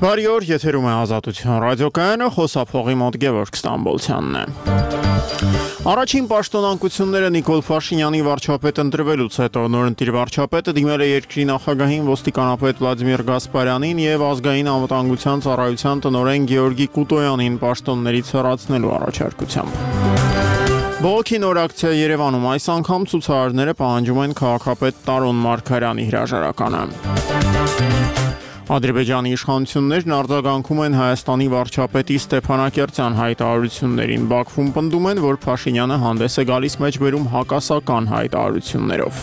Բարի օր, եթերում է Ազատություն ռադիոկայանը, խոսափողի մոտ Գևորգ Ստամբոլցյանն է։ Առաջին պաշտոնանկությունները Նիկոլ Փաշինյանի վարչապետ ընտրվելուց հետո նորընտիր վարչապետը դիմել է երկրի նախագահին, ոստիկանապետ Վլադիմիր Գասպարյանին եւ ազգային անվտանգության ծառայության տնօրեն Գեորգի Կուտոյանին պաշտոններից հեռացնելու առաջարկությամբ։ Բողոքի նոր ակցիա Երևանում այս անգամ ցուցարարները պահանջում են քաղաքապետ Տարոն Մարգարյանի հրաժարականը։ Ադրբեջանի իշխանություններն արձագանքում են Հայաստանի վարչապետի Ստեփանակերտյան հայտարարություններին։ Բաքվում պնդում են, որ Փաշինյանը հանդես է գալիս մեջբերում հակասական հայտարարություններով։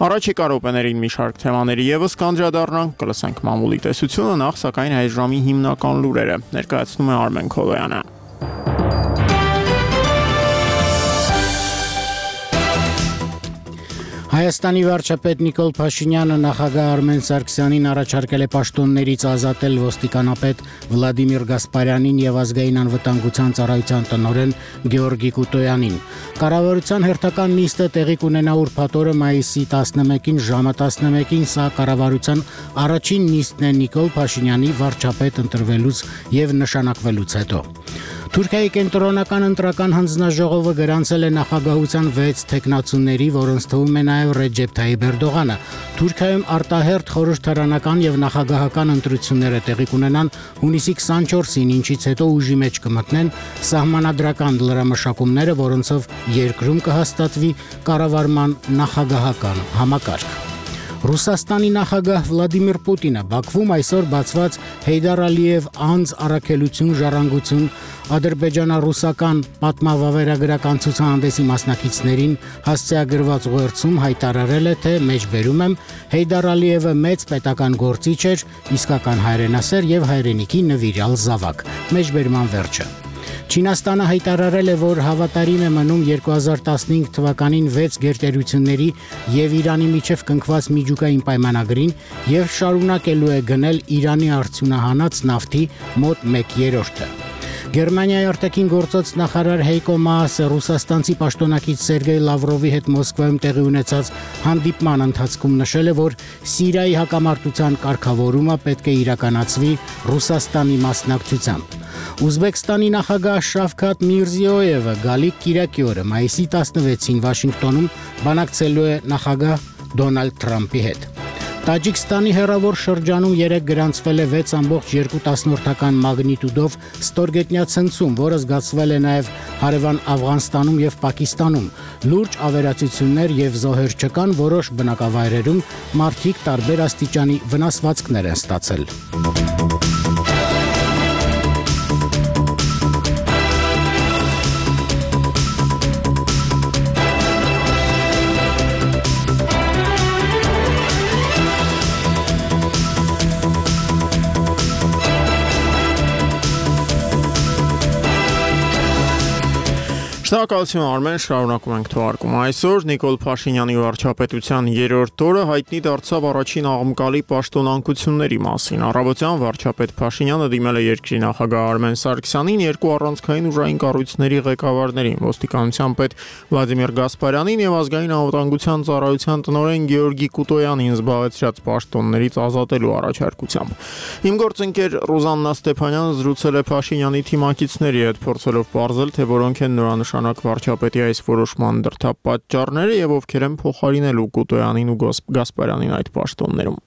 Առաջիկա րոպեներին մի շարք թեմաների եւս կանդրադառնանք, կլսենք մամուլի տեսությունը, նախ սակայն այս ժամի հիմնական լուրերը ներկայացնում է Արմեն Քոլոյանը։ Հայաստանի վարչապետ Նիկոլ Փաշինյանը նախագահ Արմեն Սարգսյանին առաջարկել է պաշտոններից ազատել ոստիկանապետ Վլադիմիր Գասպարյանին եւ ազգային անվտանգության ծառայության տնօրեն Գեորգի Կուտոյանին։ Կառավարության հերթական նիստը տեղի կունենա ուրբաթ օրը մայիսի 11-ին ժամը 11-ին, սա կառավարության առաջին նիստն է Նիկոլ Փաշինյանի վարչապետ ընտրվելուց եւ նշանակվելուց հետո։ Թուրքիայի կենտրոնական ընտրական հանձնաժողովը գրանցել է նախագահության 6 թեկնածուների, որոնց թվում է նաև Ռեջեփ Թայիփ Էրդողանը։ Թուրքիայում արտահերթ խորհրդարանական եւ նախագահական ընտրությունները տեղի կունենան հունիսի 24-ին, ինչից հետո ուժի մեջ կմտնեն սահմանադրական լրամշակումները, որոնցով երկրում կհաստատվի կառավարման նախագահական համակարգ։ Ռուսաստանի նախագահ Վլադիմիր Պուտինը Բաքվում այսօր բացված Հեյդար Ալիև անձ առաքելություն ժառանգություն ադրբեջանա-ռուսական պատմավավերագրական ցուցահանդեսի մասնակիցներին հասցեագրված ուղերձում հայտարարել է, թե մեջբերում եմ Հեյդար Ալիևը մեծ պետական գործիչ էր, իսկական հայրենասեր եւ հայրենիքի նվիրյալ զավակ։ Մեջբերման վերջը։ Չինաստանը հայտարարել է, որ հավատարիմ է մնում 2015 թվականին 6 գերտերությունների եւ Իրանի միջև կնքված միջուկային պայմանագրին եւ շարունակելու է գնել Իրանի արդյունահանած նավթի մոտ 1/3-ը։ Գերմանիայի արտաքին գործոց նախարար Հեյկո Մաասը ռուսաստանցի պաշտոնակից Սերգեյ Լավրովի հետ Մոսկվայում տեղի ունեցած հանդիպման ընթացքում նշել է, որ Սիրիայի հակամարտության կարգավորումը պետք է իրականացվի Ռուսաստանի մասնակցությամբ։ Ուզբեկստանի նախագահ Շավքաթ Միրզիոևը գալիք կիրակի օրը մայիսի 16-ին Վաշինգտոնում բանակցելու է նախագահ Դոնալդ Թրամփի հետ։ Տաջիկստանի հեռավոր շրջանում 3 գրանցվել է 6.2 մագնիտուդով ստորգետնյա ցնցում, որը զգացվել է նաև հարևան Աֆղանստանում եւ Պակիստանում։ Լուրջ ավերածություններ եւ զոհեր չկան, որոշ բնակավայրերում մարդիկ տարբեր աստիճանի վնասվածքներ են ստացել։ Շնորհակալություն Արմեն, շարունակում ենք թողարկումը։ Այսօր Նիկոլ Փաշինյանի վարչապետության 3-րդ օրը հայտնի դարձավ առաջին աղմկալի պաշտոնանկությունների մասին։ Առավոտյան վարչապետ Փաշինյանը դիմել է երկրի նախագահ Արմեն Սարգսյանին, երկու առանցքային ուժային կառույցների ղեկավարներին, ոստիկանության պետ Վլադիմիր Գասպարյանին եւ ազգային անվտանգության ծառայության տնօրեն Գեորգի Կուտոյանին զբաղեցրած պաշտոններից ազատելու առաջարկությամբ։ Իմ գործընկեր Ռուզաննա Ստեփանյանը զրուցել է Փաշինյանի թիմակիցների հետ, փորձելով պարզել, թե որոնք են նորանշանակ վարչապետի այս որոշման դրդապատճառները եւ ովքեր են փոխարինելու Կուտոյանին ու Գասպարյանին այդ պաշտոններում։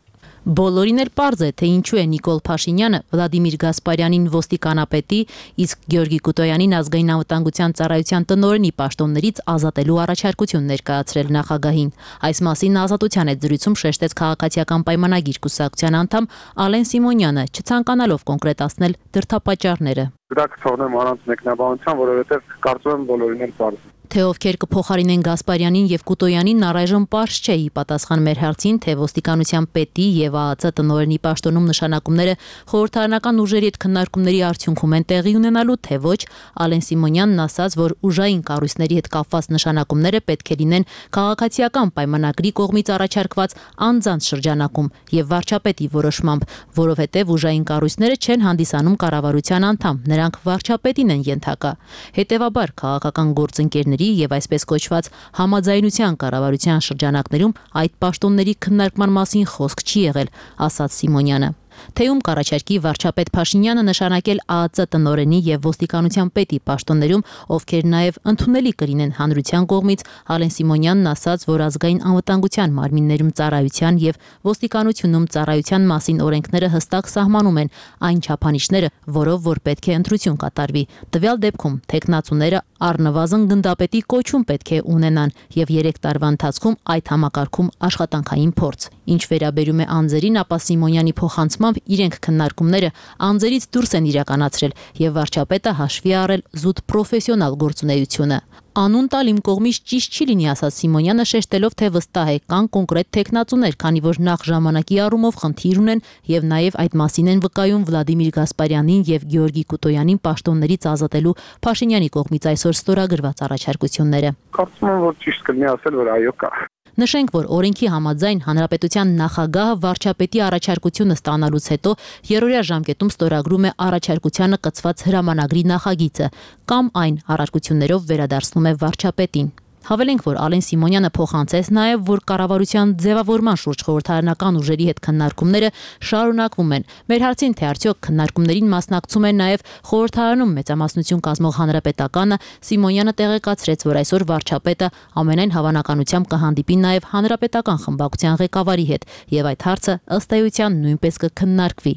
Բոլորին էլ պարզ է, թե ինչու է Նիկոլ Փաշինյանը Վլադիմիր Գասպարյանին ոստիկանապետի, իսկ Գեորգի Կուտոյանին ազգային անվտանգության ծառայության տնօրենի պաշտոններից ազատելու առաջարկություն ներկայացրել նախագահին։ Այս մասին Ազատության հետ զրույցում շեշտեց քաղաքացիական պայմանագիր կուսակցության անդամ Ալեն Սիմոնյանը, չցանկանալով կոնկրետացնել դրդապատճառները։ Դա կթողնեմ առանց մեկնաբանության, որովհետև կարծում եմ բոլորին էլ պարզ է։ Թե ովքեր կփոխարինեն Գասպարյանին եւ Կուտոյանին առայժմ պարզ չէ, ի պատասխան մեր հարցին, թե ոստիկանության պետի եւ ԱԱԾ տնօրենի պաշտոնում նշանակումները խորհրդարանական ուժերի հետ քննարկումների արդյունքում են տեղի ունենալու, թե ոչ, Ալեն Սիմոնյանն ասաց, որ ուժային կառույցների հետ կապված նշանակումները պետք է լինեն քաղաքացիական պայմանագրի կողմից առաջարկված անձանց շրջանակում եւ վարչապետի որոշմամբ, որովհետեւ ուժային կառույցները չեն հանդիսանում կառավարության անդամ, նրանք վարչապետին են ենթակա։ Հետևաբար քաղաքական գործընկերների եւ այսպես կոչված համաձայնության կառավարության շրջանակներում այդ պաշտոնների քննարկման մասին խոսք չի եղել, ասաց Սիմոնյանը։ Թեում կառաջարկի վարչապետ Փաշինյանը նշանակել ԱԱԾ տնօրենի եւ ոստիկանության պետի պաշտոններում, ովքեր նաեւ ընդունելի կլինեն հանրության կողմից, Ալեն Սիմոնյանն ասաց, որ ազգային անվտանգության մարմիններում ծառայության եւ ոստիկանությունում ծառայության մասին օրենքները հստակ սահմանում են այն չափանիշները, որով որ պետք է ընտրություն կատարվի։ Տվյալ դեպքում թեկնածուները առնվազն գնդապետի կոչում պետք է ունենան եւ 3 տարվա ընթացքում այդ համակարգում աշխատանքային փորձ։ Ինչ վերաբերում է անձերին, ապա Սիմոնյանի փոխանցմամբ իրենք քննարկումները անձերից դուրս են իրականացրել եւ վարչապետը հաշվի առել զուտ պրոֆեսիոնալ գործունեությունը։ Անուն տալ իմ կողմից ճիշտ չի լինի, ասաց Սիմոնյանը, շեշտելով, թե վստահ է կան կոնկրետ թեկնածուներ, քանի որ նախ ժամանակի առումով խնդիր ունեն եւ նաեւ այդ մասին են վկայում Վլադիմիր Գասպարյանին եւ Գեորգի Կուտոյանին պաշտոններից ազատելու Փաշինյանի կողմից այսօր ստորագրված առաջարկությունները։ Կարծում եմ, որ ճիշտ կլինի ասել, որ այո կա։ Նշենք, որ օրենքի համաձայն հանրապետության նախագահը վարչապետի առաջարկությունը ստանալուց հետո երրորդյա ժամկետում ստորագրում է առաջարկությանը կցված հրամանագրի նախագիծը կամ այն առարկություններով վերադարձնում է վարչապետին։ Հավելենք, որ Ալեն Սիմոնյանը փոխանցեց նաև, որ կառավարության ձևավորման շուրջ խորհրդարանական ուժերի հետ քննարկումները շարունակվում են։ Մեր հարցին, թե արդյոք քննարկումներին մասնակցում են նաև խորհրդարանում մեծամասնություն կազմող հանրապետականը, Սիմոնյանը տեղեկացրեց, որ այսօր վարչապետը ամենայն հավանականությամբ կհանդիպի նաև հանրապետական խմբակցության ղեկավարի հետ, եւ այդ հարցը ըստ էության նույնպես կքննարկվի։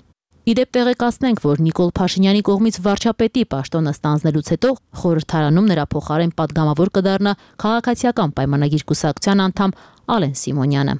Իդեպ տեղեկացնենք, որ Նիկոլ Փաշինյանի կողմից վարչապետի պաշտոնը ստանձնելուց հետո խորհրդարանում նրա փոխարեն պատգամավոր կդառնա քաղաքացիական պայմանագիր կուսակցության անդամ Ալեն Սիմոնյանը։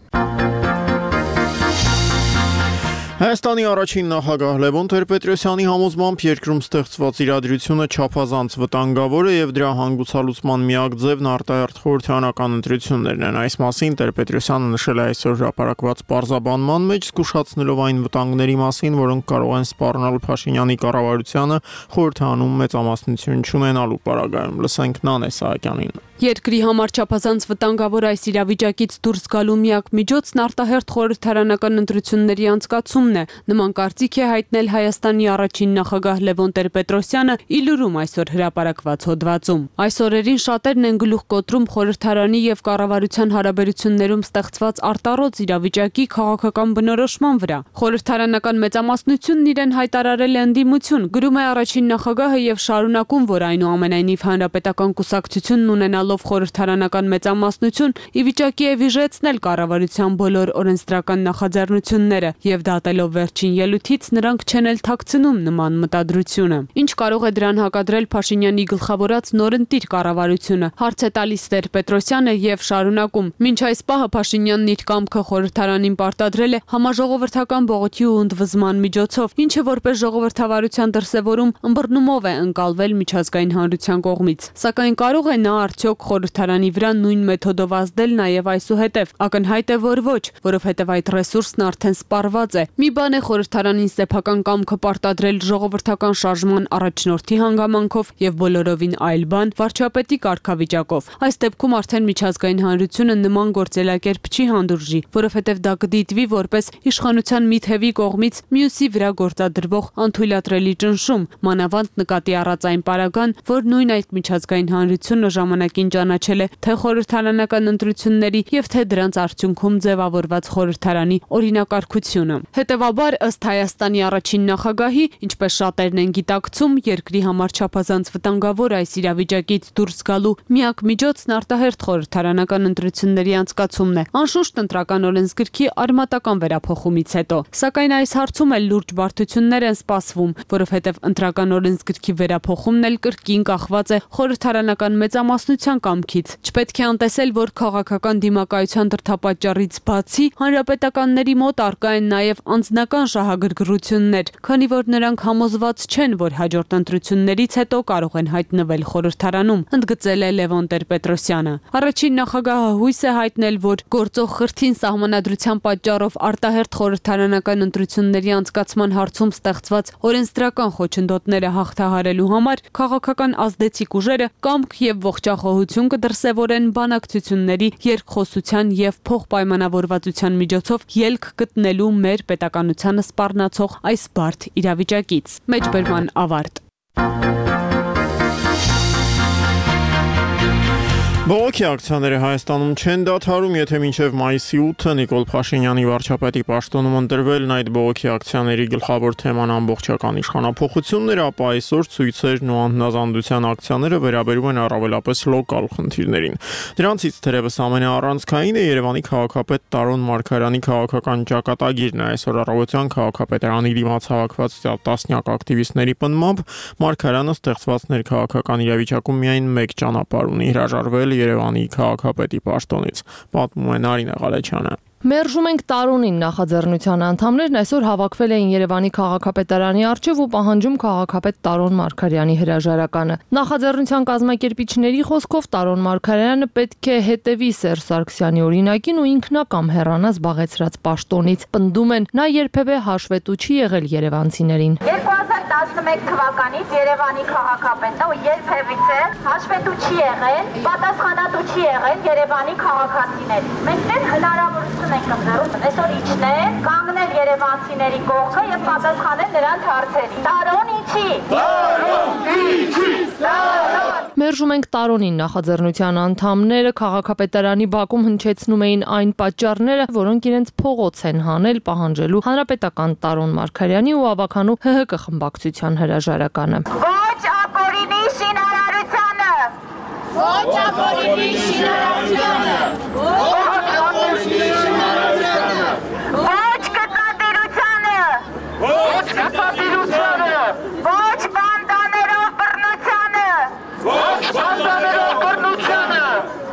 Հայաստանի առաջին նախագահ Լևոն Տեր-Պետրոսյանի համոզմամբ երկրում ստեղծված իրադրությունը չափազանց վտանգավոր է եւ դրա հանգուցալուծման միակ ձևն արտահերթ խորհրդարանական ընտրություններն են։ Այս մասին Տեր-Պետրոսյանը նշել է այսօր հրապարակված պարզաբանման մեջ, զգուշացնելով այն վտանգների մասին, որոնք կարող են սպառնալ Փաշինյանի կառավարությանը խորհրդարանում մեծամասնություն չունենալու պարագայում։ Լսենք Նանե Սահակյանին։ Երկրի համար չափազանց վտանգավոր այս իրավիճակից դուրս գալու միակ միջոցն արտահերթ խորհրդարանական ընտրությունների անցկացումն է։ Նման կարծիք է հայտնել Հայաստանի առաջին նախագահ Լևոն Տեր-Պետրոսյանը Իլուրում այսօր հրապարակված հոդվածում։ Այս օրերին շատերն են գլուխ կոտրում խորհրդարանի եւ կառավարության հարաբերություններում ստեղծված արտառոց իրավիճակի քաղաքական բնորոշման վրա։ Խորհրդարանական մեծամասնությունն իրեն հայտարարել է ընդդիմություն, գրում է առաջին նախագահը եւ շարունակում, որ այնուամենայնիվ հանրապետական կուսակցությունն ունենալով խորհրդարանական մեծամասնություն ի վիճակի է վիժեցնել կառավարության բոլոր օրենսդրական նախաձեռնությունները եւ դատելով վերջին ելույթից նրանք չեն էլ թաքցնում նման մտադրությունը։ Ինչ կարող է դրան հակադրել Փաշինյանի գլխավորած նորընտիր կառավարությունը, հարց է տալիս Տեր-Պետրոսյանը եւ շարունակում։ Մինչ այս պահը Փաշինյանն իր կամքը խորհրդարանին պարտադրել է համաժողովրդական բողոքի ու ընդվզման միջոցով, ինչը որպես ժողովրդավարության դրսևորում ըմբռնումով է ընկալվել միջազգային հանրության կողմից։ Սակայն կարող է նա արդյոք խորհրդարանի վրա նույն մեթոդով ազդել նաև այսուհետև։ Ակնհայտ է, որ ոչ, որովհետև այդ ռեսուրսն արդեն սպառված է։ Մի բան է խորհրդարանին սեփական կամքը պարտադրել ժողովրդական շարժման առաջնորդի հանգամանքով եւ բոլորովին այլ բան վարչապետի կարգավիճակով։ Այս դեպքում արդեն միջազգային հանրությունը նման գործելակերպ չի հանդուրժի, որովհետև դա կդիտվի որպես իշխանության մի թևի կողմից մյուսի վրա գործադրվող անթույլատրելի ճնշում, մանավանդ նկատի առած այն պարագան, որ նույն այդ միջազգային հանրությունը ժամանակին ճանաչել է թե խորհրդարանական ընտրությունների եւ թե դրանց արդյունքում ձևավորված խորհրդարանի օրինակարգությունը։ Հետևաբար, ըստ Հայաստանի առաջին նախագահի, ինչպես շատերն են գիտակցում, երկրի համար չափազանց վտանգավոր այս իրավիճակից դուրս գալու միակ միջոցն արտահերթ խորհրդարանական ընտրությունների անցկացումն է։ Անշուշտ ընտրական օրենսգրքի արմատական վերափոխումից հետո, սակայն այս հարցում էլ լուրջ բարդություններ են սպասվում, որովհետև ընտրական օրենսգրքի վերափոխումն էլ կրկին կախված է խորհրդարանական մեծամասնության կամքից։ Չպետք է անտեսել, որ քաղաքական դիմակայության դրդապատճառից բացի հանրապետականների մոտ առկա են նաև անձնական շահագրգռություններ, քանի որ նրանք համոզված չեն, որ հաջորդ ընտրություններից հետո կարող են հայտնվել խորհրդարանում, ընդգծել է Լևոն Տեր-Պետրոսյանը։ Առաջին նախագահը հույս է հայտնել, որ գործող խրթին սահմանադրության պատճառով արտահերթ խորհրդարանական ընտրությունների անցկացման հարցում ստեղծված օրենսդրական խոչընդոտները հաղթահարելու համար քաղաքական ազդեցիկ ուժերը կամք եւ ողջախոհություն կդրսեւորեն բանակցությունների, երկխոսության եւ փոխպայմանավորվածության միջոցով ելք գտնելու մեր պետականությանը սպառնացող այս բարդ իրավիճակից։ Մեջբերման ավարտ։ Բողոքի ակցիաները Հայաստանում չեն դադարում, եթե մինչև մայիսի 8-ը Նիկոլ Փաշինյանի վարչապետի պաշտոնում ընտրվելն այդ բողոքի ակցիաների գլխավոր թեման ամբողջական իշխանափոխություններ, ապա այսօր ցույցերն ու անհնազանդության ակցիաները վերաբերում են առավելապես լոկալ խնդիրներին։ Դրանցից թերևս ամենաառանցքայինը Երևանի քաղաքապետ Տարոն Մարգարյանի քաղաքական ճակատագիրն է։ Այսօր առավոտյան քաղաքապետարանի դիմաց հավաքված տասնյակ ակտիվիստների պնդմամբ Մարգարյանը ստեղծված ներքաղաքական իրավիճակում միայն մեկ ճանապարհ ունի՝ հրաժարվել Երևանի քաղաքապետի պաշտոնից, պատմում է Նարինե Ղալեչյանը։ Մերժում ենք Տարոնին նախաձեռնության անդամներն այսօր հավաքվել էին Երևանի քաղաքապետարանի առջև ու պահանջում քաղաքապետ Տարոն Մարգարյանի հրաժարականը։ Նախաձեռնության կազմակերպիչների խոսքով Տարոն Մարգարյանը պետք է հետևի Սերժ Սարգսյանի օրինակին ու ինքնակամ հեռանա զբաղեցրած պաշտոնից։ Պնդում են, նա երբևէ հաշվետու չի եղել երևանցիներին։ 2011 թվականից Երևանի քաղաքապետը ու երբևիցե հաշվետու չի եղել, պատասխանատու չի եղել Երևանի քաղաքացիներին։ Մենք դեռ հնարավորություն ենք ընձեռում այսօր իջնել, կանգնել երևանցիների կողքը եւ պատասխանել նրանց հարցերին։ Տարոն իջի։ Մերժում ենք Տարոնին նախաձեռնության անդամները քաղաքապետարանի բակում հնչեցնում էին այն պատճառները, որոնք իրենց փողոց են հանել պահանջելու հանրապետական Տարոն Մարգարյանի ու ավականու ՀՀԿ խմբակցության հրաժարականը։ Ոչ ապօրինի շինարարությանը։ Ոչ ապօրինի շինարարությանը։ Ոչ կտատիրությանը։ Ոչ կտատիրությանը։ Ոչ բանդաներով բռնությանը։ Ոչ բանդաներով բռնությանը։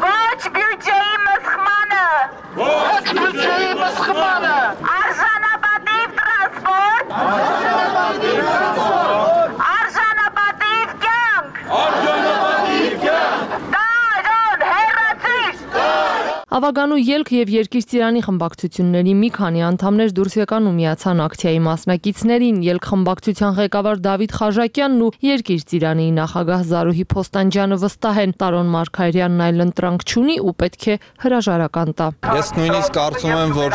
Ոչ բյուջեի մսխմանը։ Ոչ բյուջեի մսխմանը։ Արժանապատիվ տրանսպորտ։ Արժանապատիվ տրանսպորտ։ Արժանապատիվ կյանք։ Արժանապատիվ կյանք։ Տարոն հեռացիր։ Ավականու ելք եւ Երկիր ծիրանի խմբակցությունների մի քանի անդամներ դուրս եկան ու միացան ակցիայի մասնակիցներին։ Ելք խմբակցության ղեկավար Դավիթ Խաժակյանն ու Երկիր ծիրանի նախագահ Զարուհի Փոստանջյանը վստահ են, Տարոն Մարգարյանն այլ ընտրանք չունի ու պետք է հրաժարական տա։ Ես նույնիսկ կարծում եմ, որ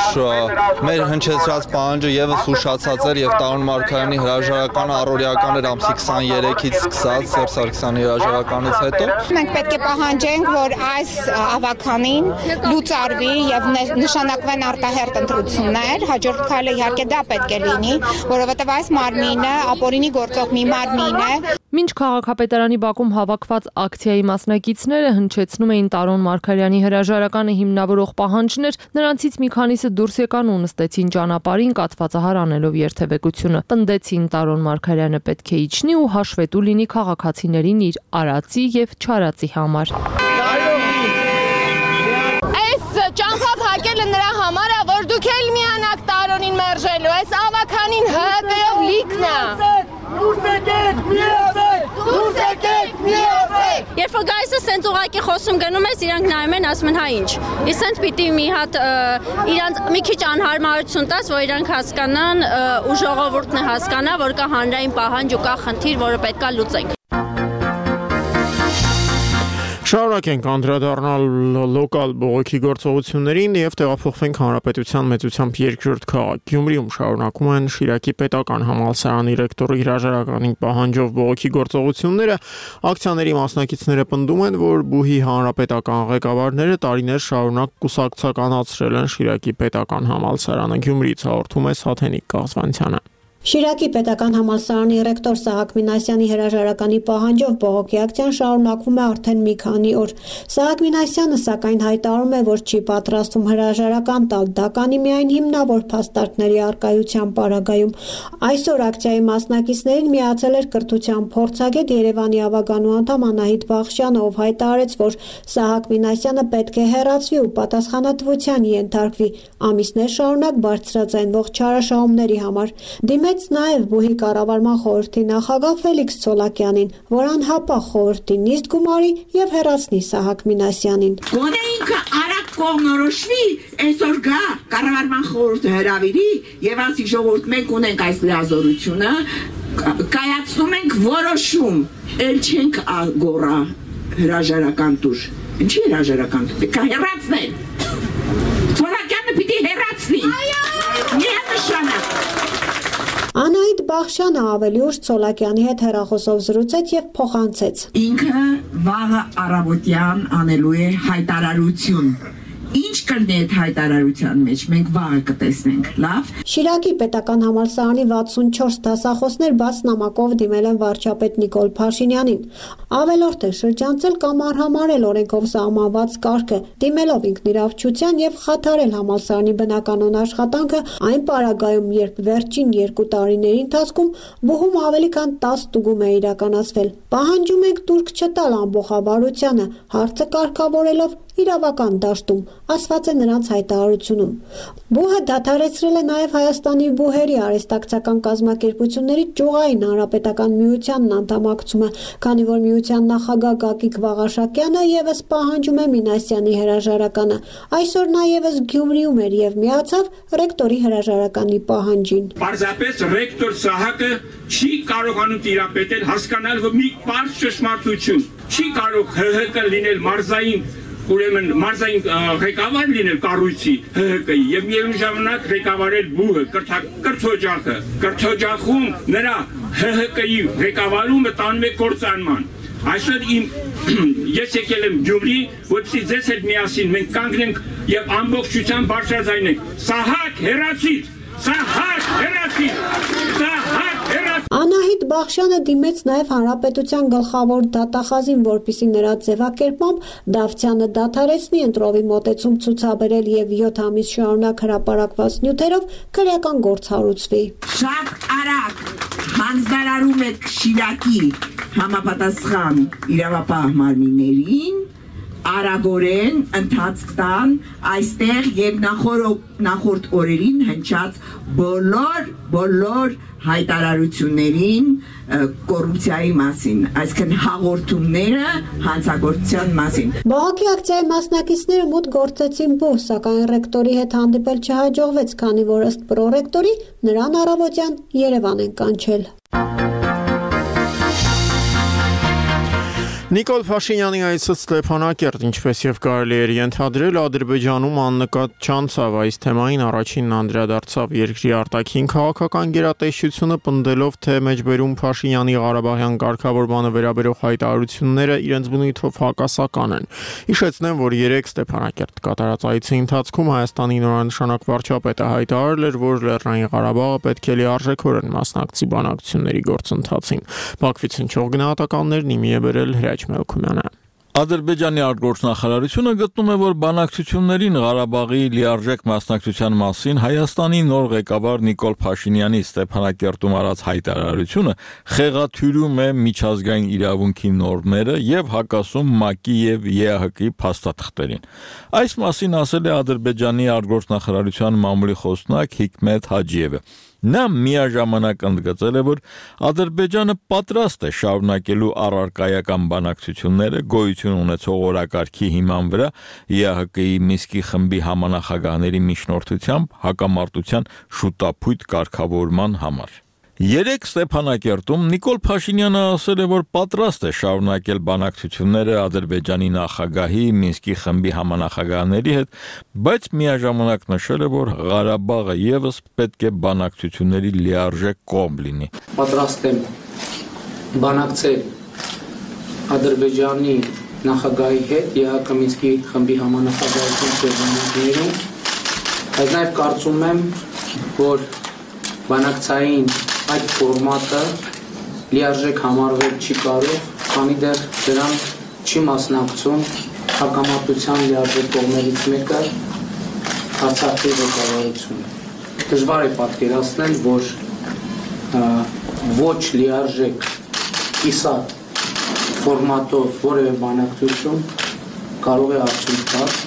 մեր հնչեցրած պահանջը եւս ուշացած էր եւ Տարոն Մարգարյանի հրաժարականը առօրյական էր ամսի 23-ից սկսած Սերժ Սարգսյանի հրաժարականից հետո։ Մենք պետք է պահանջենք, որ այս ավականին լուծարվի եւ նշանակվեն արտահերտ ընտրություններ, հաջորդ քայլը իհարկե դա պետք է լինի, որովհետեւ այս մարմինը ապօրինի գործող մի մարմին է։ Մինչ քաղաքապետարանի բակում հավաքված ակցիայի մասնակիցները հնչեցնում էին Տարոն Մարգարյանի հրաժարականը հիմնավորող պահանջներ, նրանցից մի քանիսը դուրս եկան ու նստեցին ճանապարհին կաթվածահար անելով երթևեկությունը։ Պնդեցին Տարոն Մարգարյանը պետք է իջնի ու հաշվետու լինի քաղաքացիներին իր արածի եւ չարածի համար։ Ճամփա փակելը նրա համար է, որ դուք էլ միանաք Տարոնին մերժելու, այս ավականին ՀԿ-ով լիքն է։ Դուրս եկեք, միացեք։ Երբ որ գայսը սենց ուղակի խոսում գնում ես, իրանք նայում են, ասում են հա ինչ։ Իսկ սենց պիտի մի հատ իրանք մի քիչ անհարմարություն տաս, որ իրանք հասկանան ու ժողովուրդն է հասկանա, որ կա հանրային պահանջ ու կա խնդիր, որը պետքա լուծենք։ Շարունակենք անդրադառնալ լոկալ բողոքի գործողություններին եւ տեղափոխվենք հանրապետության մեծությամբ երկրորդ քաղաք Գյումրիում շարունակում են Շիրակի պետական համալսարանի ռեկտորի հրաժարականի պահանջով բողոքի գործողությունները։ Ակցիաների մասնակիցները պնդում են, որ բուհի հանրապետական ղեկավարները տարիներ շարունակ կուսակցականացրել են Շիրակի պետական համալսարանը։ Գյումրիից հաղորդում է Սաթենիկ Կաղզվանցյանը։ Շիրակի պետական համալսարանի ռեկտոր Սահակ Մինասյանի հրաժարականի պահանջով բողոքի ակցիան շարունակվում է արդեն մի քանի օր։ Սահակ Մինասյանը սակայն հայտարարում է, որ չի պատրաստվում հրաժարական տալ, դա կանի միայն հիմնավոր փաստարկների առկայության պարագայում։ Այսօր ակցիայի մասնակիցներին միացել էր կրթության փորձագետ Երևանի ավականու անդամ Անահիտ Բախշյանը, ով հայտարարեց, որ Սահակ Մինասյանը պետք է հեռացվի ու պատասխանատվության ենթարկվի ամիսներ շարունակ բարձրաձայնվող չարաշահումների համար։ Դիմեց նաև բուհի կառավարման խորհրդի նախագահ Ֆելիքս Ցոլակյանին, որ անհապաղ խորհրդի նիստ գումարի եւ հեռացնի Սահակ Մինասյանին։ Գոնե ինքը արագ կողմնորոշվի, այսօր գա կառավարման խորհուրդը հրավիրի եւ ասի ժողովուրդ մենք ունենք այս լիազորությունը, կայացնում ենք որոշում, ել չենք գոռա հրաժարական տուր։ Ինչի հրաժարական տուր։ Պետք է հեռացնել։ Ցոլակյանը պիտի հեռացնի։ Միանշանակ։ Անահիտ Բախշյանը ավելի ուշ Ցոլակյանի հետ հեռախոսով զրուցեց եւ փոխանցեց. Ինքը վաղը առավոտյան անելու է հայտարարություն։ Ինչ կլինի այդ հայտարարության մեջ, մենք վաղը կտեսնենք, լավ։ Շիրակի պետական համալսարանի 64 դասախոսներ բաց նամակով դիմել են վարչապետ Նիկոլ Փաշինյանին։ Ավելորդ է շրջանցել կամ արհամարել օրենքով սահմանված կարգը, դիմելով ինքնիրավչության եւ խաթարել համալսարանի բնականոն աշխատանքը այն պարագայում, երբ վերջին 2 տարիների ընթացքում բուհում ավելի քան 10 ստուգում է իրականացվել։ Պահանջում ենք տուրք չտալ ամբողջավարությանը, հարցը կարգավորելով իրավական դաշտում, ասված է նրանց հայտարարությունում։ Բուհը դադարեցրել է նաև Հայաստանի բուհերի արհեստակցական կազմակերպությունների ճյուղային հանրապետական միությանն անդամակցումը, քանի որ միության նախագահ Գագիկ Վաղաշակյանը եւս պահանջում է Մինասյանի հրաժարականը։ Այսօր նա եւս Գյումրիում էր եւ միացավ ռեկտորի հրաժարականի պահանջին։ Պարզապես ռեկտոր Սահակը չի կարողանում տիրապետել, հասկանալ մի պարզ ճշմարտություն։ Չի կարող ՀՀԿ լինել մարզային ուրեմն մարզային ղեկավար լինել կառույցի ՀՀԿ-ի եւ միևնույն ժամանակ ղեկավարել բուհը կրթօջախը։ Կրթօջախում նրա ՀՀԿ-ի ղեկավարումը տանում է կործանման։ Այսօր ես եկել եմ Գյումրի, որպեսզի ձեզ հետ միասին մենք կանգնենք եւ ամբողջությամբ բարձրաձայնենք. Սահակ հեռացիր, Սահակ հեռացիր, Սահակ հեռացիր։ Անահիտ Բախշյանը դիմեց նաև Հանրապետության գլխավոր դատախազին, որպիսի նրա ձևակերպմամբ Դավթյանը դադարեցնի ընտրովի մոտեցում ցուցաբերել եւ 7 ամիս շարունակ հրապարակված նյութերով քրեական գործ հարուցվի։ Շատ արագ հանձնարարում եք Շիրակի համապատասխան իրավապահ մարմիններին արագորեն ընթացք տան այստեղ եւ նախորդ օրերին հնչած բոլոր հայտարարություններին կոռուպցիայի մասին, այսինքն հաղորդումները հանցագործության մասին։ Բողոքի ակցիայի մասնակիցները մուտք գործեցին բուհ, սակայն ռեկտորի հետ հանդիպել չհաջողվեց, քանի որ ըստ պրոռեկտորի նրան առավոտյան Երևան են կանչել։ Նիկոլ Փաշինյանի այցը Ստեփանակերտ, ինչպես եւ կարելի էր ենթադրել, Ադրբեջանում աննկատ չանցավ այս թեմային առաջինն անդրադարձավ երկրի արտաքին քաղաքական գերատեսչությունը, պնդելով, թե մեջբերում Փաշինյանի Ղարաբաղյան կարգավորմանը վերաբերող հայտարարությունները իրենց բնույթով հակասական են։ Հիշեցնեմ, որ 3 Ստեփանակերտ կատարած այցի ընթացքում Հայաստանի նորանշանակ վարչապետը հայտարարել էր, որ Լեռնային Ղարաբաղը պետք է լիարժեքորեն մասնակցի բանակցությունների գործընթացին։ Բաքվից հնչող գնահատականներն իմի է բերել Melkumyana. Ադրբեջանի արտգործնախարարությունը գտնում է, որ բանակցություններին Ղարաբաղի լիարժեք մասնակցության մասին Հայաստանի նոր ղեկավար Նիկոլ Փաշինյանի Ստեփանակերտում արած հայտարարությունը խեղաթյուրում է միջազգային իրավունքի նորմերը եւ հակասում ՄԱԿ-ի եւ ԵԱՀԿ-ի փաստաթղթերին։ Այս մասին ասել է Ադրբեջանի արտգործնախարարության մամուլի խոսնակ Հիկմետ Հաջիևը։ Նա միաժամանակ ընդգծել է, որ Ադրբեջանը պատրաստ է շարունակելու առարկայական բանակցությունները գոյություն ունեցող օրակարգի հիման վրա ԵԱՀԿ-ի Մինսկի խմբի համանախագահների միջնորդությամբ հակամարտության շուտափույթ կարգավորման համար։ 3 Ստեփանակերտում Նիկոլ Փաշինյանը ասել է, որ պատրաստ է շարունակել բանակցությունները Ադրբեջանի նախագահի Մինսկի խմբի համանախագահների հետ, բայց միաժամանակ նշել է, որ Ղարաբաղը եւս պետք է բանակցությունների լիարժեք կողմ լինի։ Պատրաստ եմ բանակցել Ադրբեջանի նախագահի հետ ԵԱՀԿ Մինսկի խմբի համանախագահության շրջանակներում, բայց նաեւ կարծում եմ, որ բանակցային այդ ֆորմատը լիարժեք համարվել չի կարող, քանի դեռ դրան չի մասնակցում հակամարտության լիարժեք կողմերից մեկը Արցախի ղեկավարությունը։ Դժվար է պատկերացնել, որ ոչ լիարժեք կիսատ ֆորմատով որևէ բանակցություն կարող է արդյունք տալ։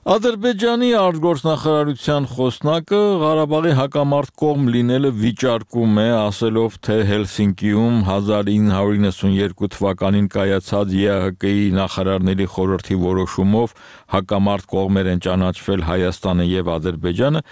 Ադրբեջանի արտգործնախարարության խոսնակը Ղարաբաղի հակամարտ կողմ լինելը վիճարկում է, ասելով, թե Հելսինկիում 1992 թվականին կայացած ԵԱՀԿ-ի նախարարների խորհրդի որոշումով հակամարտ կողմեր են ճանաչվել Հայաստանը եւ Ադրբեջանը,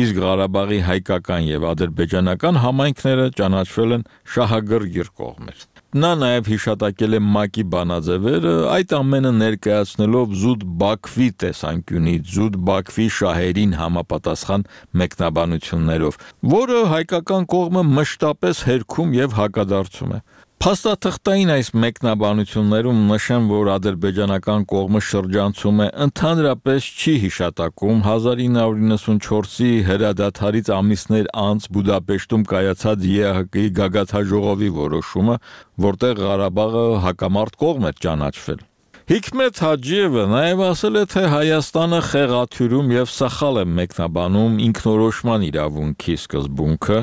իսկ Ղարաբաղի հայկական եւ ադրբեջանական համայնքները ճանաչվել են շահագրգիռ կողմեր։ նա նաև հիշատակել է ՄԱԿ-ի բանաձևերը, այդ ամենը ներկայացնելով զուտ Բաքվի տեսանկյունից, զուտ Բաքվի շահերին համապատասխան մեկնաբանություններով, որը հայկական կողմը մշտապես հերքում եւ հակադարձում է։ Փաստաթղթային այս մեկնաբանություններում նշեմ, որ ադրբեջանական կողմը շրջանցում է ընդհանրապես չի հիշատակում 1994-ի հրադադարից ամիսներ անց Բուդապեշտում կայացած ԵԱՀԿ-ի գագաթնաժողովի որոշումը, որտեղ Ղարաբաղը հակամարտ կողմ է ճանաչվել։ Հիկմետ Հաջիևը նաև ասել է, թե Հայաստանը խեղաթյուրում եւ սխալ է մեկնաբանում ինքնորոշման իրավունքի սկզբունքը,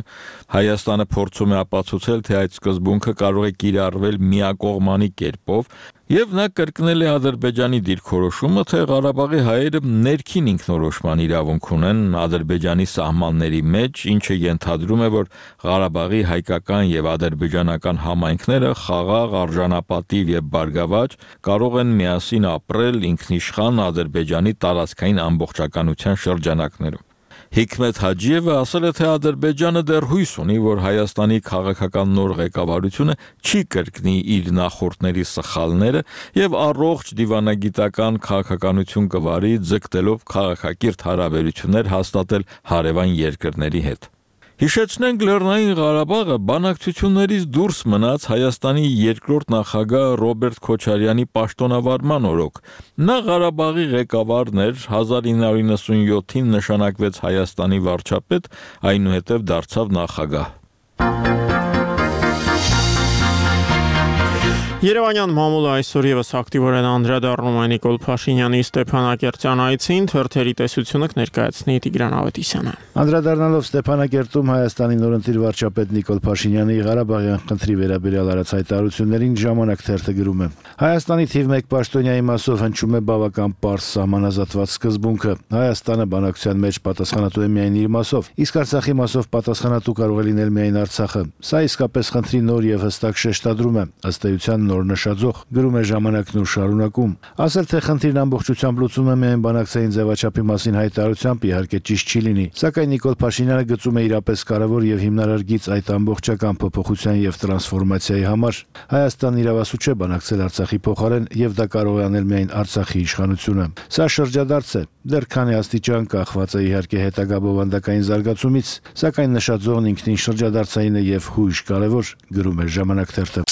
Հայաստանը փորձում է ապացուցել, թե այդ սկզբունքը կարող է կիրառվել միակողմանի կերպով, եւ նա կրկնել է Ադրբեջանի դիրքորոշումը, թե Ղարաբաղի հայերը ներքին ինքնորոշման իրավունք ունեն Ադրբեջանի սահմանների մեջ, ինչը ենթադրում է, որ Ղարաբաղի հայկական եւ ադրբեջանական համայնքները խաղաղ, արժանապատիվ եւ բարգավաճ կարող են միասին ապրել ինքնիշխան Ադրբեջանի տարածքային ամբողջականության շրջանակներում։ Հիկմետ Հաջիևը ասել է, թե Ադրբեջանը դեռ հույս ունի, որ Հայաստանի քաղաքական նոր ղեկավարությունը չի կրկնի իր նախորդների սխալները եւ առողջ դիվանագիտական քաղաքականություն կվարի, ձգտելով քաղաքակիրթ հարաբերություններ հաստատել հարևան երկրների հետ։ Հիշեցնենք, Լեռնային Ղարաբաղը բանակցություններից դուրս մնաց Հայաստանի երկրորդ նախագահ Ռոբերտ Քոչարյանի պաշտոնավարման օրոք։ Նա Ղարաբաղի ղեկավարն էր, 1997-ին նշանակվեց Հայաստանի վարչապետ, այնուհետև դարձավ նախագահ։ Երևանյան մամուլը այսօր եւս ակտիվորեն անդրադառնում է Նիկոլ Փաշինյանի Ստեփանակերտյան այցին, թերթերի տեսությունը կներկայացնի Տիգրան Ավետիսյանը։ Անդրադառնալով Ստեփանակերտում Հայաստանի նորընտիր վարչապետ Նիկոլ Փաշինյանի Ղարաբաղյան խնդրի վերաբերյալ արած հայտարարություններին ժամանակ թերթը գրում է. Հայաստանի թիվ 1 պաշտոնյայի մասով հնչում է բավական պարզ սահմանազատված սկզբունքը։ Հայաստանը բանակցության մեջ պատասխանատու է միայն իր մասով, իսկ Արցախի մասով պատասխանատու կարող է լինել միայն Արցախը։ Սա իսկապես խնդրի նոր եւ հստակ շեշտադրում է, ըստ էության նոր նշաձող, գրում է ժամանակն ու շարունակում։ Ասել, թե խնդիրն ամբողջությամբ լուծում է միայն բանակցային ձևաչափի մասին հայտարարությամբ, իհարկե ճիշտ չի լինի, սակայն Նիկոլ Փաշինյանը գծում է իրապես կարևոր եւ հիմնարար գիծ այդ ամբողջական փոփոխության եւ տրանսֆորմացիայի համար։ Հայաստանն իրավասու չէ բանակցել Արցախի փոխարեն եւ դա կարող է անել միայն Արցախի իշխանությունը։ Սա շրջադարձ է, դեռ քանի աստիճան կախված է իհարկե հետագա բովանդակային զարգացումից, սակայն նշաձողն ինքնին շրջադարձային է եւ հույժ կարևոր, գրում է ժամանակ թերթը։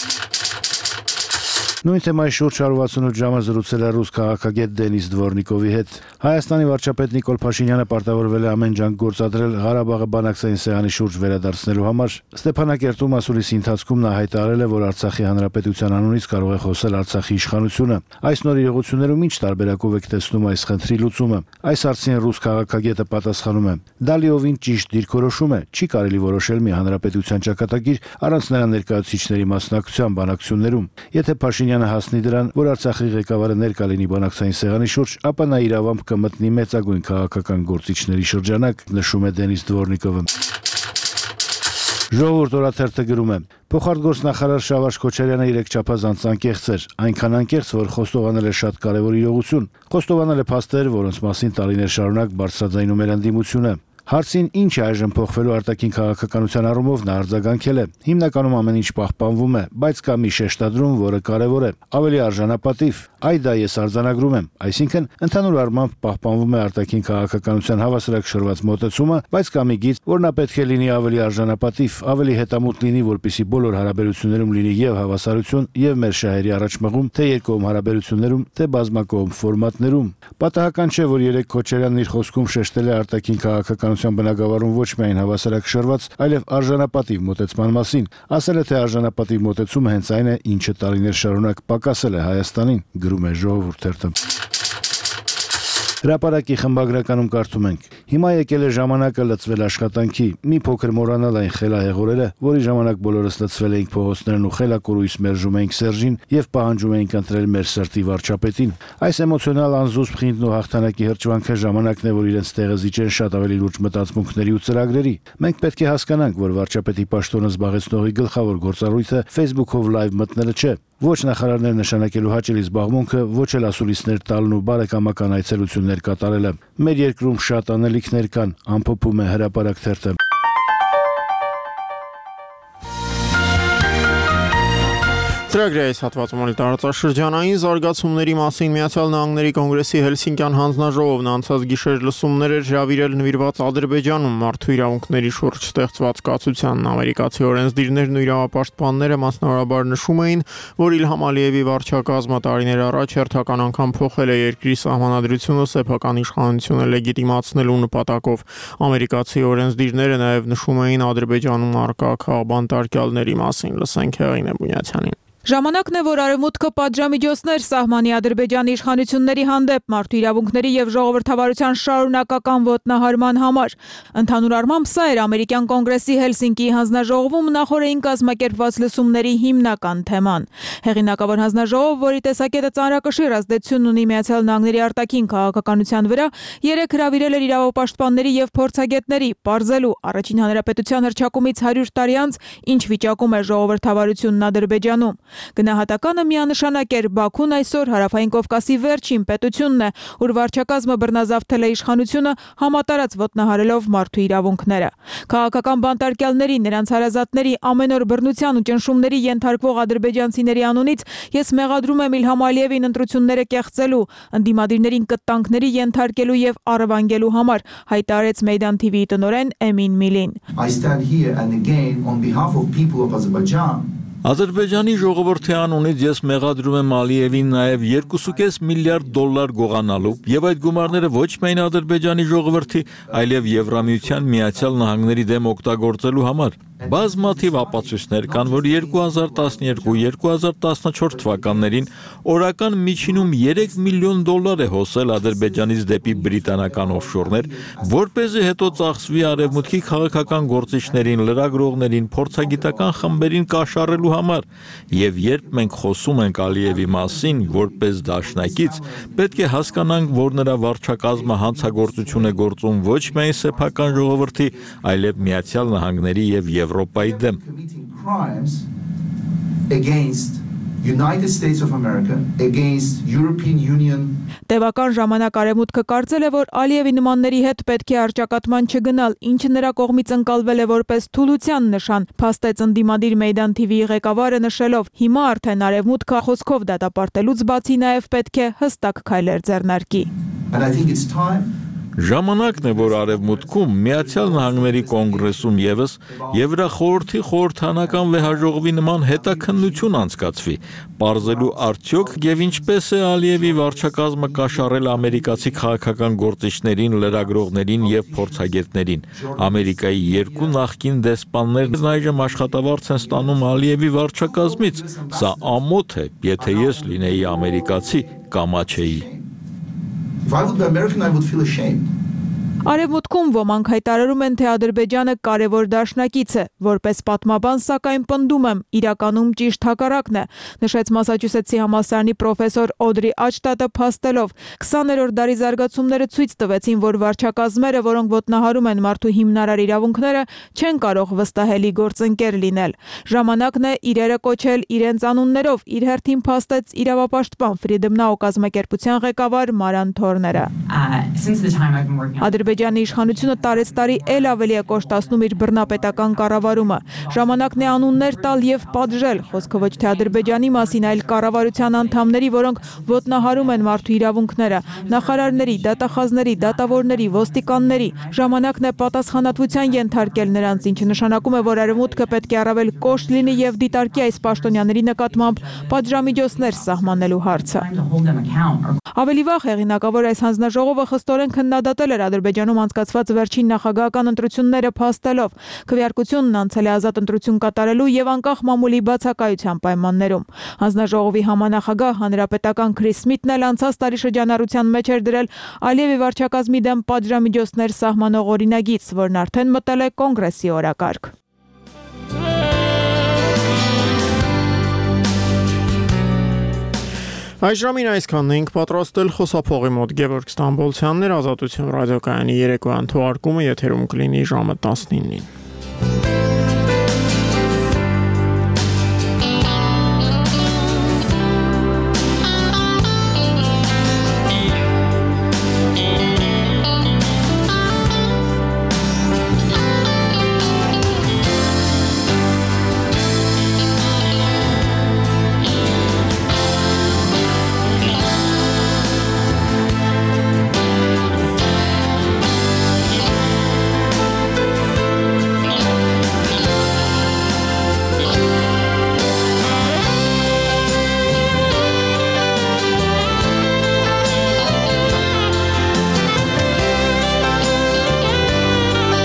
Նույն թեմայի շուրջ 168 ժամը զրուցել է ռուս քաղաքագետ Դենիս Դվորնիկովի հետ։ Հայաստանի վարչապետ Նիկոլ Փաշինյանը պարտավորվել է ամեն ջանք գործադրել Ղարաբաղը բանակցային սեղանի շուրջ վերադարձնելու համար։ Ստեփանակերտում ասուլիսի ընթացքում նա հայտարարել է, որ Արցախի հանրապետության անունից կարող է խոսել Արցախի իշխանությունը։ Այս նոր իրողություններում ինչ տարբերակով եք տեսնում այս խնդրի լուծումը։ Այս հարցին ռուս քաղաքագետը պատասխանում է. Դա լիովին ճիշտ դիրքորոշում է, չի կարելի որոշել մի հանրապետության ճակատագիր առանց նրա ներկայացուցիչների մասնակցության բանակցություններում։ Եթե Փաշինյանը հասնի դրան, որ Արցախի ղեկավարը ներկա լինի բանակցային սեղանի շուրջ, ապա նա իրավամբ կմտնի մեծագույն քաղաքական գործիչների շրջանակ, նշում է Դենիս Դվորնիկովը։ Ժողովուրդ օրաթերթը գրում է. Փոխարտգործնախարար Շավարժ Քոչարյանը իրեք չափազանց անկեղծ էր, այնքան անկեղծ, որ խոստովանել է շատ կարևոր իրողություն։ Խոստովանել է փաստեր, որոնց մասին տարիներ շարունակ բարձրաձայնում էր ընդդիմությունը։ Հարցին ինչ է այժմ փոխվելու արտաքին քաղաքականության առումով նա արձագանքել է. Հիմնականում ամեն ինչ պահպանվում է, բայց կա մի շեշտադրում, որը կարևոր է, ավելի արժանապատիվ։ Այ դա ես արձանագրում եմ, այսինքն ընդհանուր առմամբ պահպանվում է արտաքին քաղաքականության հավասարակշռված մոտեցումը, բայց կա մի գիծ, որ նա պետք է լինի ավելի արժանապատիվ, ավելի հետամուտ լինի, որպեսզի բոլոր հարաբերություններում լինի եւ հավասարություն, եւ մեր շահերի առաջմղում, թե երկկողմ հարաբերություններում, թե բազմակողմ ֆորմատներում։ Պատահական չէ, որ երեք Քոչարյանն իր խոսքում շեշտել է արտաքին քաղաքականության բնագավառում ոչ միայն հավասարակշռված, այլև արժանապատիվ մոտեցման մասին։ Ասել է, թե արժանապատիվ մոտեցումը հենց այն է, ինչը տարիներ շարունակ պակասել է Հայաստանին, գրում է Ժողովուրդ թերթը։ Հրապարակի խմբագրականում կարդում ենք. Հիմա եկել է ժամանակը լծվել աշխատանքի, մի փոքր մոռանալ այն խելահեղ օրերը, որի ժամանակ բոլորս լծվել էինք փողոցներն ու խելակորույս մերժում էինք Սերժին եւ պահանջում էինք ընտրել մեր սրտի վարչապետին։ Այս էմոցիոնալ անզուսպ խինդն ու հաղթանակի հրճվանքը ժամանակն է, որ իրենց տեղը զիջեն շատ ավելի լուրջ մտածմունքների ու ծրագրերի։ Մենք պետք է հասկանանք, որ վարչապետի պաշտոնը զբաղեցնողի գլխավոր գործառույթը Facebook-ով լայվ մտնելը չէ։ Ոչ նախարարներ նշանակելու հաճելի զբաղմունքը, ոչ էլ ասուլիսներ տալն ու բարեկամական այցելություններ կատարելը։ Մեր երկրում շատ անելիքներ կան, ամփոփում է Հրապարակ թերթը։ Ծրագրի այս հատվածում ալ տարածաշրջանային զարգացումների մասին Միացյալ Նահանգների կոնգրեսի Հելսինկյան հանձնաժողովն անցած գիշեր լսումներ էր հրավիրել նվիրված Ադրբեջանում մարդու իրավունքների շուրջ ստեղծված կացությանն։ Ամերիկացի օրենսդիրներն ու իրավապաշտպանները մասնավորաբար նշում էին, որ Իլհամ Ալիևի վարչակազմը տարիներ առաջ հերթական անգամ փոխել է երկրի սահմանադրությունը սեփական իշխանությունը լեգիտիմացնելու նպատակով։ Ամերիկացի օրենսդիրները նաև նշում էին Ադրբեջանում առկա քաղբանտարկյալների մասին։ Լսենք Հեղինե Բունյացյանին։ Ժամանակն է, որ Արևմուտքը պատժամիջոցներ սահմանի Ադրբեջանի իշխանությունների հանդեպ մարդու իրավունքների եւ ժողովրդավարության շարունակական ոտնահարման համար։ Ընդհանուր առմամբ սա էր ամերիկյան կոնգրեսի Հելսինկիի հանձնաժողովում նախորդին կազմակերպված լսումների հիմնական թեման։ Հեղինակավոր հանձնաժողով, որի տեսակետը ծանրակշիռ ազդեցություն ունի Միացյալ Նահանգների արտաքին քաղաքականության վրա, երեք հրավիրել էր իրավապաշտպանների եւ փորձագետների պարզելու առաջին հանրապետության հռչակումից 100 տարի անց ինչ վիճակում է ժողովրդավարությունն Ադրբեջանում։ Գնահատականը միանշանակ էր Բաքուն այսօր Հարավային Կովկասի վերջին պետությունն է, ուր վարչակազմը բռնազավթել է իշխանությունը համատարած ոտնահարելով մարդու իրավունքները։ Քաղաքական բանտարկյալների, նրանց հարազատների ամեն օր բռնության ու ճնշումների ենթարկվող ադրբեջանցիների անունից ես մեղադրում եմ Իլհամ Ալիևին ընտրությունները կեղծելու, ընդդիմադիրներին կտանքների ենթարկելու եւ առևանգելու համար, հայտարարեց Մեյդան TV-ի տնօրեն Էմին Միլին։ I stand here and again on behalf of people of Azerbaijan. Ադրբեջանի ժողովրդի անունից ես մեղադրում եմ Ալիևին նաև 2.5 միլիարդ դոլար գողանալու եւ այդ գումարները ոչ միայն Ադրբեջանի ժողովրդի, այլև Եվրամիության Միացյալ Նահանգների դեմ օգտագործելու համար։ Բազմաթիվ ապացույցներ կան, որ 2012-2014 թվականներին օրական միջինում 3 միլիոն դոլար է հոսել Ադրբեջանից դեպի բրիտանական օֆշորներ, որպեսզի հետո ծախսվի արևմուտքի քաղաքական գործիչներին, լրագրողներին, փորձագիտական խմբերին կաշառելու համար։ Եվ երբ մենք խոսում ենք Ալիևի մասին, որպես դաշնակից, պետք է հասկանանք, որ նրա վարչակազմը հանցագործություն է գործում ոչ միայն սեփական ժողովրդի, այլև Միացյալ Նահանգների եւ Եվրոպայի դեմ։ Against United States of America, against European Union. Տևական ժամանակ Արևմուտքը կարծել է, որ Ալիևի նմանների հետ պետք է առճակատման չգնալ, ինչը նրա կողմից ընկալվել է որպես թուլության նշան, փաստեց ընդդիմադիր Մեյդան TV-ի ղեկավարը նշելով. հիմա արդեն Արևմուտքը խոսքով դատապարտելուց բացի նաև պետք է հստակ քայլեր ձեռնարկի։ And I think it's time Ժամանակն է, որ Արևմուտքում Միացյալ Նահանգների կոնգրեսում եւս Եվրախորհրդի խորհրդանական վեհաժողովի նման հետաքննություն անցկացվի, պարզելու արդյոք եւ ինչպես է Ալիևի վարչակազմը կաշառել ամերիկացի քաղաքական գործիչներին, լրագրողներին եւ փորձագետներին։ Ամերիկայի երկու նախկին դեսպաններն այժմ աշխատավարձ են ստանում Ալիևի վարչակազմից։ Սա ամոթ է, եթե ես լինեի ամերիկացի, կամաչեի։ If I would be American, I would feel ashamed. Արևմուտքում ոմանք հայտարարում են, թե Ադրբեջանը կարևոր դաշնակից է, որպես պատմաբան, սակայն պնդում եմ, իրականում ճիշտ հակառակն է, նշեց Մասաչուսեթսի համալսարանի պրոֆեսոր Օդրի Աչտատը փաստելով 20-րդ դարի զարգացումները ցույց տվեցին, որ վարչակազմերը, որոնք ոտնահարում են մարդու հիմնարար իրավունքները, չեն կարող վստահելի գործընկեր լինել։ Ժամանակն է իրերը կոչել իրենց անուններով, իր հերթին փաստեց իրավապաշտպան Freedom Now կազմակերպության ղեկավար Մարան Թորները։ Ադրբեջանի իշխանությունը տարեցտարի էլ ավելի է կոշտացնում իր բռնապետական կառավարումը։ Ժամանակն է անուններ տալ եւ պատժել, խոսքը ոչ թե Ադրբեջանի մասին, այլ կառավարության անդամների, որոնք ոտնահարում են մարդու իրավունքները, նախարարների, դատախազների, դատավորների, ոստիկանների։ Ժամանակն է պատասխանատվության ենթարկել նրանց, ինչը նշանակում է, որ Արևմուտքը պետք է առավել կոշտ լինի եւ դիտարկի այս պաշտոնյաների նկատմամբ պատժամիջոցներ սահմանելու հարցը։ Ավելի վաղ հեղինակավոր այս հանձնաժողովը խստորեն քննադատել էր Ադրբեջանում անցկացված վերջին նախագահական ընտրությունները փաստելով քվեարկությունն անցել է ազատ ընտրություն կատարելու եւ անկախ մամուլի բացակայության պայմաններում։ Հանձնաժողովի համանախագահ հանրապետական Քրիս Սմիթն էլ անցած տարի շրջանառության մեջ էր դրել Ալիևի վարչակազմի դեմ պատժամիջոցներ սահմանող օրինագիծ, որն արդեն մտել է կոնգրեսի օրակարգ։ Այս ժամին այսքանն ենք պատրաստել խոսափողի մոտ Գևորգ Ստամբոլցյանն էր, Ազատություն ռադիոկայանի երեկոյան թողարկումը եթերում կլինի ժամը 19-ին։